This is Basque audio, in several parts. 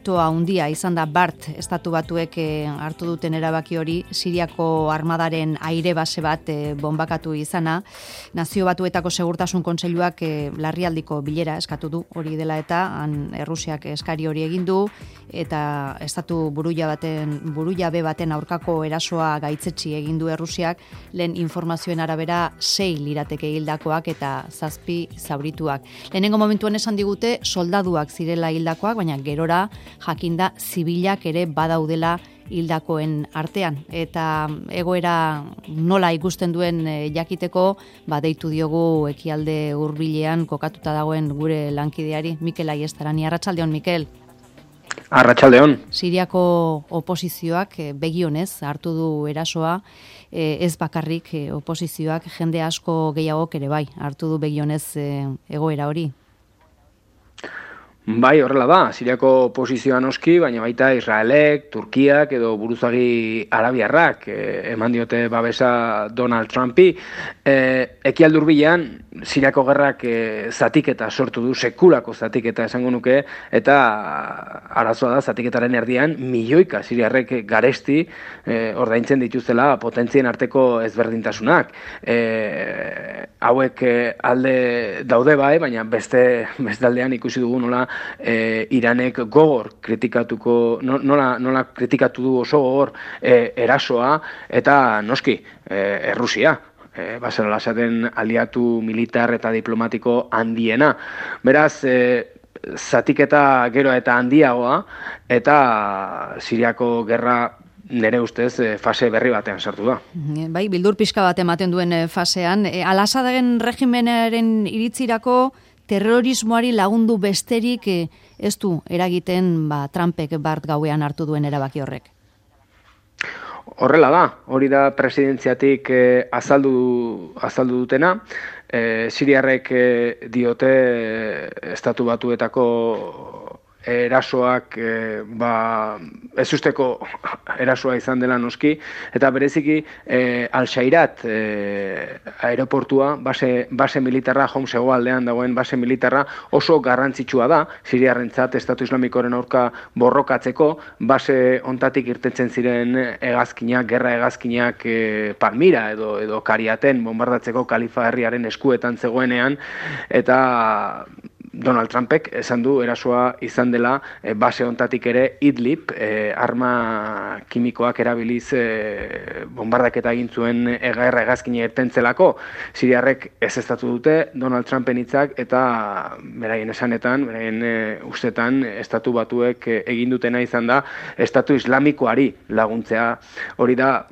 Handia izan da Bart estatu batuek hartu duten erabaki hori, Siriako armadaren aire base bat bombakatu izana. Nazio Batuetako Segurtasun Kontseiluak larrialdiko bilera eskatu du, hori dela eta Errusiak eskari hori egin du, eta estatu burujabe baten aurkako erasoa gaitzetsi egin du Errusiak, lehen informazioen arabera 6 lirateke hildakoak eta 7 zaurituak. Lehenengo momentuan esan digute soldaduak zirela hildakoak, baina gerora jakinda zibilak ere badaudela hildakoen artean. Eta egoera nola ikusten duen jakiteko, deitu diogu ekialde hurbilean kokatuta dagoen gure lankideari, Mikel Aiestarani. Arratsaldeon, Mikel. Arratsaldeon. Siriako oposizioak begionez hartu du erasoa, ez bakarrik oposizioak, jende asko gehiagok ere bai hartu du begionez egoera hori. Bai, horrela da, Siriako oposizioa noski, baina baita Israelek, Turkiak edo buruzagi arabiarrak eman diote babesa Donald Trumpi. Ekialde hurbilean Siriako gerrak zatiketa sortu du, sekulako zatiketa esango nuke, eta arazoa da zatiketaren erdian milioika siriarrek garesti ordaintzen dituztela potentzien arteko ezberdintasunak. Hauek alde daude bai, baina beste aldean ikusi dugu nola Iranek gogor kritikatuko, nola kritikatu du oso gogor erasoa, eta noski Errusia. Basara lasaten aliatu militar eta diplomatiko handiena. Beraz, zatiketa gero eta handiagoa, eta Siriako gerra nire ustez fase berri batean sartu da. Bai, bildur pixka bat ematen duen fasean. Al-Assaden regimenaren iritzirako terrorismoari lagundu besterik ez du eragiten Trumpek Bart gauean hartu duen erabaki horrek. Horrela da, hori da presidentziatik azaldu dutena. Siriarrek diote Estatu Batuetako erasoak ezusteko erasoa izan dela noski, eta bereziki Al-Shairat aeroportua, base militarra, Homs hegoaldean dagoen base militarra oso garrantzitsua da, Siriarrentzat Estatu Islamikoren aurka borrokatzeko, base ontatik irtetzen ziren hegazkinak, gerra hegazkinak Palmira edo Kariaten bombardatzeko Kalifa herriaren eskuetan zegoenean, eta Donald Trumpek esan du erasoa izan dela base ontatik ere Idlib, arma kimikoak erabiliz bombardaketa egin zuen gerra hegazkina irtentzelako. Siriarrek ezeztatu dute Donald Trumpen hitzak, eta beraien esanetan, beraien ustetan, Estatu Batuek egin dutena izan da Estatu Islamikoari laguntzea. Hori da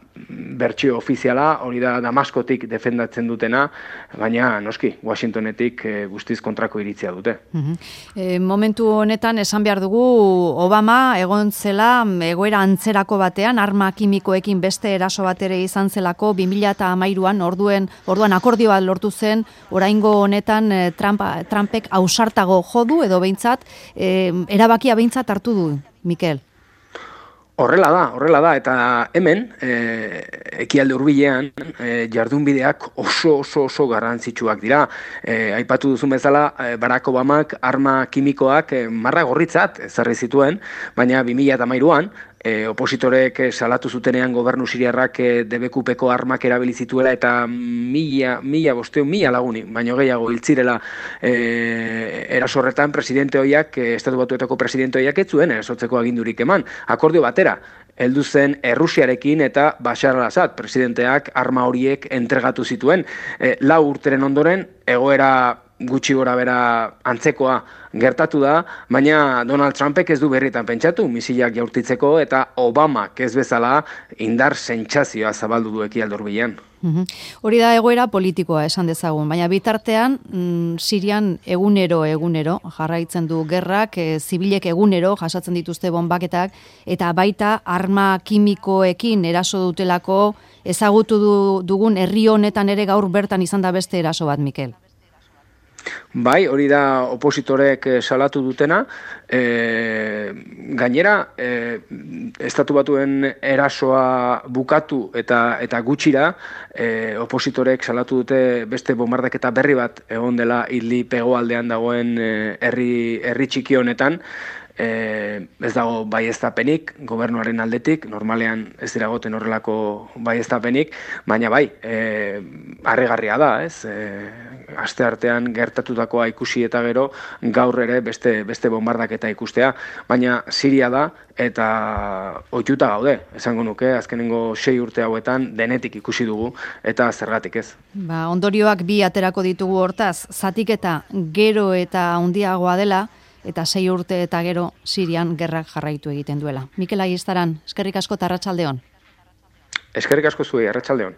bertsio ofiziala, hori da Damaskotik defendatzen dutena, baina noski Washingtonetik guztiz kontrako iritzia dute. Momentu honetan esan behar dugu Obama egon zela egoera antzerako batean, arma kimikoekin beste eraso bat ere izan zelako 2013an, orduan akordio bat lortu zen, oraingo honetan Trumpek ausartago jodu edo behintzat erabakia behintzat hartu du, Mikel. Horrela da, eta hemen, ekialde hurbilean, jardunbideak oso garrantzitsuak dira. Aipatu duzun bezala, Barack Obamak arma kimikoak marra gorritzat ezarri zituen, baina 2013an, opositorek salatu zutenean gobernu siriarrak DBQPko armak erabili zituela eta mila laguni, baino gehiago hiltzirela eraso horretan presidente hoiak, Estatu Batuetako presidente hoiak ez zuen erasotzeko agindurik eman. Akordio batera heldu zen Errusiarekin eta Bashar al-Assad presidenteak arma horiek entregatu zituen. 4 urteren ondoren egoera gutxi gora bera antzekoa gertatu da, baina Donald Trumpek ez du berritan pentsatu misilak jaurtitzeko, eta Obamak ez bezala indar sentsazioa zabaldu du ekialde hurbilean. Hori da egoera politikoa esan dezagun, baina bitartean Sirian egunero jarraitzen du gerrak, zibilek egunero jasatzen dituzte bonbaketak, eta baita arma kimikoekin eraso dutelako ezagutu dugun herri honetan ere gaur bertan izan da beste eraso bat, Mikel. Bai, hori da opositorek salatu dutena. Gainera, Estatu Batuen erasoa bukatu eta gutxira, opositorek salatu dute beste bombardaketa berri bat egon dela Idlib hegoaldean dagoen herri txiki honetan. ez dago baieztapenik gobernuaren aldetik, normalean ez dira goten horrelako baieztapenik, baina bai, harrigarria da, ez? Aste artean gertatutakoa ikusi eta gero gaur ere beste bombardaketa ikustea, baina Siria da eta ohituta gaude, esango nuke, azkenengo 6 urte hauetan denetik ikusi dugu eta zergatik ez. Ondorioak bi aterako ditugu hortaz, zatiketa gero eta handiagoa dela, eta 6 urte eta gero Sirian gerrak jarraitu egiten duela. Mikel Aiestaran, eskerrik asko eta arratsaldeon. Eskerrik asko zuei, arratsaldeon.